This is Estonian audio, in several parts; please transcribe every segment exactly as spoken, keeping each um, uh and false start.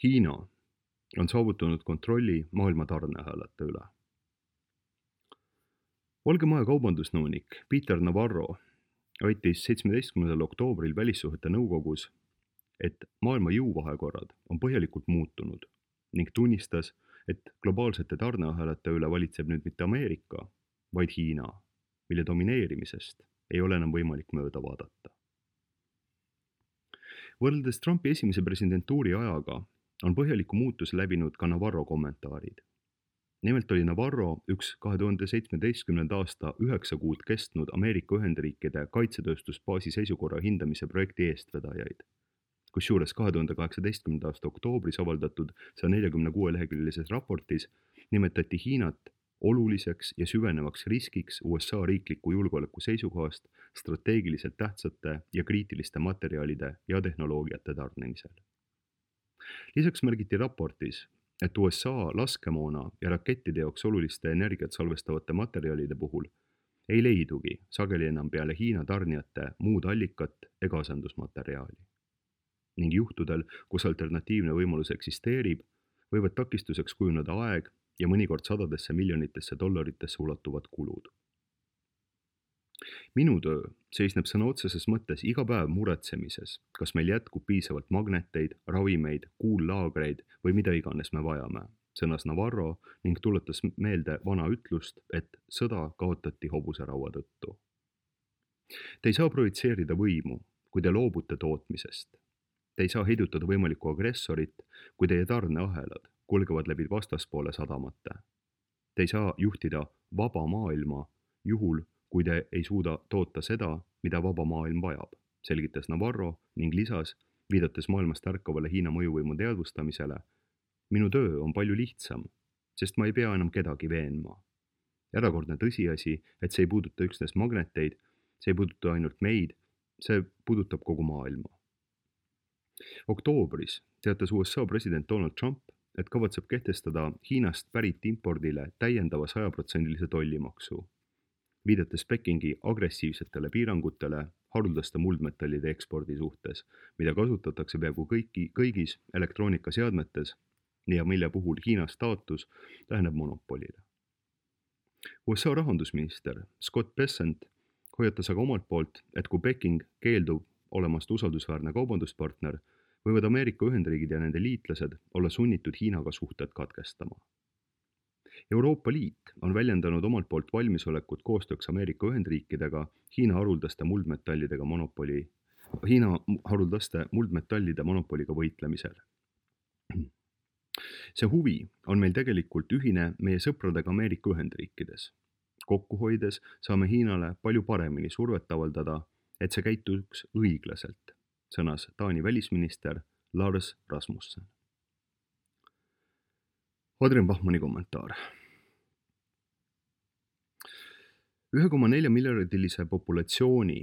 Hiina on saavutanud kontrolli maailma tarneahelate üle. Valge Maja kaubandusnõunik Peter Navarro väitis seitsmeteistkümnendal oktoobril välissuhete nõukogus, et maailma jõuvahekorrad on põhjalikult muutunud ning tunnistas, et globaalsete tarneahelate üle valitseb nüüd mitte Ameerika, vaid Hiina, mille domineerimisest ei ole enam võimalik mööda vaadata. Võrreldes Trumpi esimese presidentuuri ajaga on põhjaliku muutuse läbinud ka Navarro kommentaarid. Nimelt oli Navarro üks kahe tuhande seitsmeteistkümnenda aasta üheksa kuud kestnud Ameerika Ühendriikide kaitsetööstusbaasi seisukorra hindamise projekti eestvedajaid, kusjuures kahe tuhande kaheksateistkümnenda aasta oktoobris avaldatud saja neljakümne kuue leheküljelises raportis nimetati Hiinat oluliseks ja süvenevaks riskiks U S A riikliku julgeoleku seisukohast strateegiliselt tähtsate ja kriitiliste materjalide ja tehnoloogiate tarnimisel. Lisaks märgiti raportis, et U S A laskemoona ja rakettide jaoks oluliste energiat salvestavate materjalide puhul ei leidugi sageli enam peale Hiina tarnijate muud allikat ega asendusmaterjali. Ning juhtudel, kus alternatiivne võimalus eksisteerib, võivad takistuseks kujuneda aeg ja mõnikord sadadesse miljonitesse dollaritesse ulatuvad kulud. Minu töö seisneb sõna otseses mõttes iga päev muretsemises, kas meil jätkub piisavalt magneteid, ravimeid, kuullaagreid või mida iganes me vajame, sõnas Navarro ning tuletas meelde vana ütlust, et sõda kaotati hobuseraua tõttu. Te ei saa projitseerida võimu, kui te loobute tootmisest. Te ei saa heidutada võimalikku agressorit, kui teie tarneahelad kulgevad läbi vastaspoole sadamate. Te ei saa juhtida vaba maailma juhul, kui te ei suuda toota seda, mida vaba maailm vajab, selgitas Navarro ning lisas, viidates maailmast ärkavale Hiina mõjuvõimu teadvustamisele. Minu töö on palju lihtsam, sest ma ei pea enam kedagi veenma. Erakordne tõsiasi, et see ei puuduta üksnes magneteid, see ei puuduta ainult meid, see puudutab kogu maailma. Oktoobris teatas U S A president Donald Trump, et kavatseb kehtestada Hiinast pärit impordile täiendava sajaprotsendilise tollimaksu, viidates Pekingi agressiivsetele piirangutele haruldaste muldmetallide ekspordi suhtes, mida kasutatakse peaaegu kõiki, kõigis elektroonikaseadmetes ja mille puhul Hiina staatus läheneb monopolile. U S A rahandusminister Scott Bessent hoiatas aga omalt poolt, et kui Peking keeldub olemast usaldusväärne kaubanduspartner, võivad Ameerika Ühendriigid ja nende liitlased olla sunnitud Hiinaga suhted katkestama. Euroopa Liit on väljendanud omalt poolt valmisolekut koostööks Ameerika Ühendriikidega Hiina haruldaste muldmetallidega monopoli, Hiina haruldaste muldmetallide monopoliga võitlemisel. See huvi on meil tegelikult ühine meie sõpradega Ameerika Ühendriikides. Kokku hoides saame Hiinale palju paremini survet avaldada, et see käituks õiglaselt, sõnas Taani välisminister Lars Rasmussen. Adrian Bachmanni kommentaar. ühe koma nelja miljardilise populatsiooni,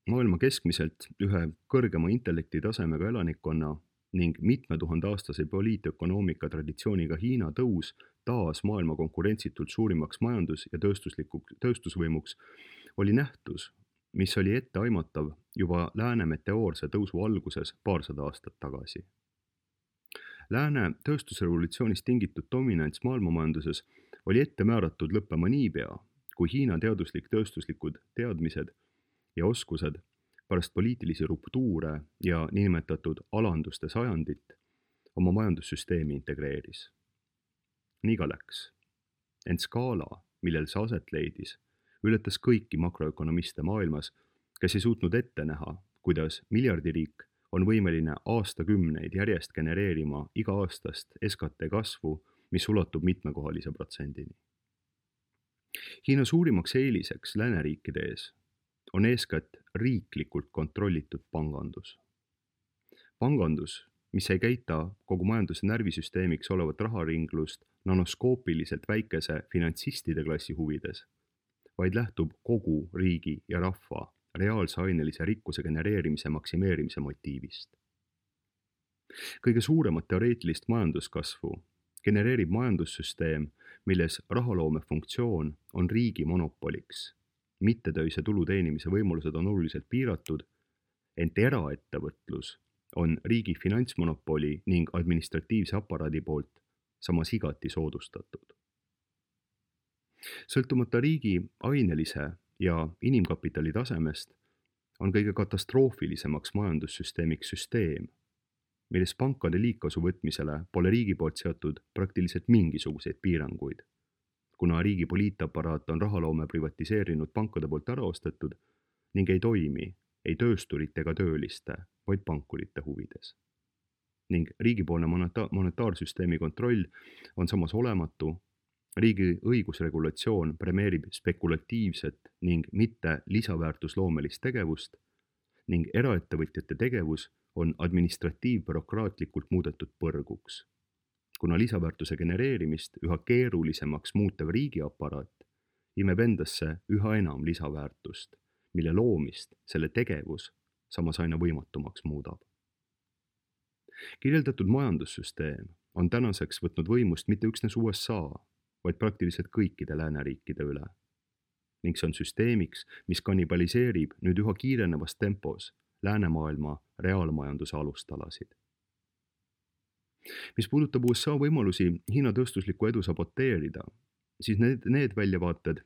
maailma keskmiselt ühe kõrgema intellektitasemega elanikkonna ning mitme tuhande aastase poliitökonoomika traditsiooniga Hiina tõus taas maailma konkurentsitult suurimaks majandus- ja tööstusvõimuks oli nähtus, mis oli ette aimatav juba lääne meteoorse tõusu alguses paarsada aastat tagasi. Lääne tööstusrevolutsioonist tingitud dominants maailmamajanduses oli ette määratud lõppema niipea, kui Hiina teaduslik tööstuslikud teadmised ja oskused pärast poliitilisi ruptuure ja niinimetatud alanduste sajandit oma majandussüsteemi integreeris. Nii ka läks. Ent skaala, millel see aset leidis, ületas kõiki makroökonomiste maailmas, kes ei suutnud ette näha, kuidas miljardiriik on võimeline aastakümneid järjest genereerima iga-aastast S K T kasvu, mis ulatub mitmekohalise protsendini. Hiina suurimaks eeliseks lääneriikide ees on eeskätt riiklikult kontrollitud pangandus. Pangandus, mis ei käita kogu majanduse närvisüsteemiks olevat raharinglust nanoskoopiliselt väikese finantsistide klassi huvides, vaid lähtub kogu riigi ja rahva reaalse ainelise rikkuse genereerimise maksimeerimise motiivist. Kõige suuremat teoreetilist majanduskasvu genereerib majandussüsteem, milles rahaloome funktsioon on riigi monopoliks. Mittetöise tulu teenimise võimalused on oluliselt piiratud, ent eraettevõtlus on riigi finantsmonopoli ning administratiivse aparaadi poolt samas igati soodustatud. Sõltumata riigi ainelise ja inimkapitali tasemest on kõige katastroofilisemaks majandussüsteemiks süsteem, milles pankade liigkasu võtmisele pole riigi poolt seatud praktiliselt mingisuguseid piiranguid, kuna riigi poliitaparaat on rahaloome privatiseerinud pankade poolt ära ostetud ning ei toimi ei töösturite ega tööliste, vaid pankurite huvides. Ning riigipoolne moneta- monetaarsüsteemi kontroll on samas olematu, riigi õigusregulatsioon premeerib spekulatiivset ning mitte lisaväärtusloomelist tegevust ning eraettevõtjate tegevus on administratiivbürokraatlikult muudetud põrguks, kuna lisaväärtuse genereerimist üha keerulisemaks muutev riigiaparaat imeb endasse üha enam lisaväärtust, mille loomist selle tegevus samas aina võimatumaks muudab. Kirjeldatud majandussüsteem on tänaseks võtnud võimust mitte üksnes U S A, vaid praktiliselt kõikide lääneriikide üle. Ning see on süsteemiks, mis kannibaliseerib nüüd üha kiirenevas tempos läänemaailma reaalmajanduse alustalasid. Mis puudutab U S A võimalusi Hiina tööstuslikku edu saboteerida, siis need, need väljavaated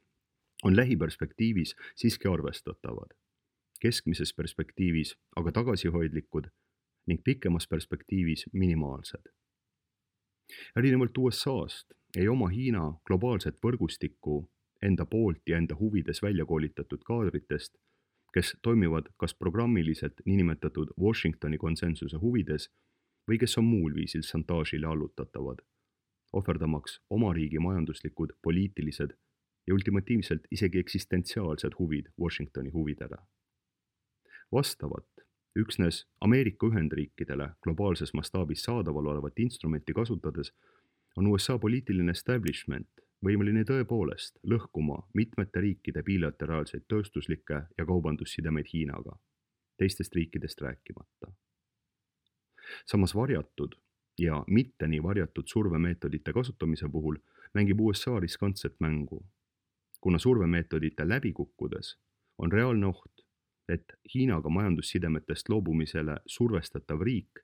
on lähiperspektiivis siiski arvestatavad, keskmises perspektiivis aga tagasihoidlikud ning pikemas perspektiivis minimaalsed. Erinevalt U S A-st ei oma Hiina globaalset võrgustikku enda poolt ja enda huvides välja koolitatud kaadritest, kes toimivad kas programmiliselt niinimetatud Washingtoni konsensuse huvides või kes on muul viisil šantaažile allutatavad, ohverdamaks oma riigi majanduslikud, poliitilised ja ultimatiivselt isegi eksistentsiaalsed huvid Washingtoni huvidele. Vastavat üksnes Ameerika Ühendriikidele globaalses mastaabis saadaval olevat instrumenti kasutades on U S A poliitiline establishment võimeline tõepoolest lõhkuma mitmete riikide bilateraalseid tööstuslikke ja kaubandussidemeid Hiinaga, teistest riikidest rääkimata. Samas varjatud ja mitte nii varjatud survemeetodite kasutamise puhul mängib U S A riskantset mängu, kuna survemeetodite läbi kukkudes on reaalne oht, et Hiinaga majandussidemetest loobumisele survestatav riik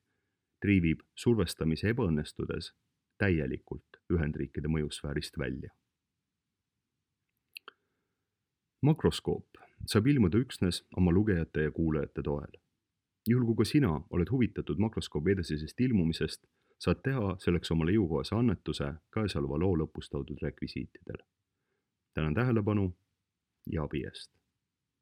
triivib survestamise ebaõnnestudes täielikult Ühendriikide mõjusfäärist välja. Makroskoop saab ilmuda üksnes oma lugejate ja kuulajate toel. Juhul kui ka sina oled huvitatud makroskoobi edasisest ilmumisest, saad teha selleks omale jõukohase annetuse käesoleva loo lõpus toodud rekvisiitidel. Tänan tähelepanu ja abi eest!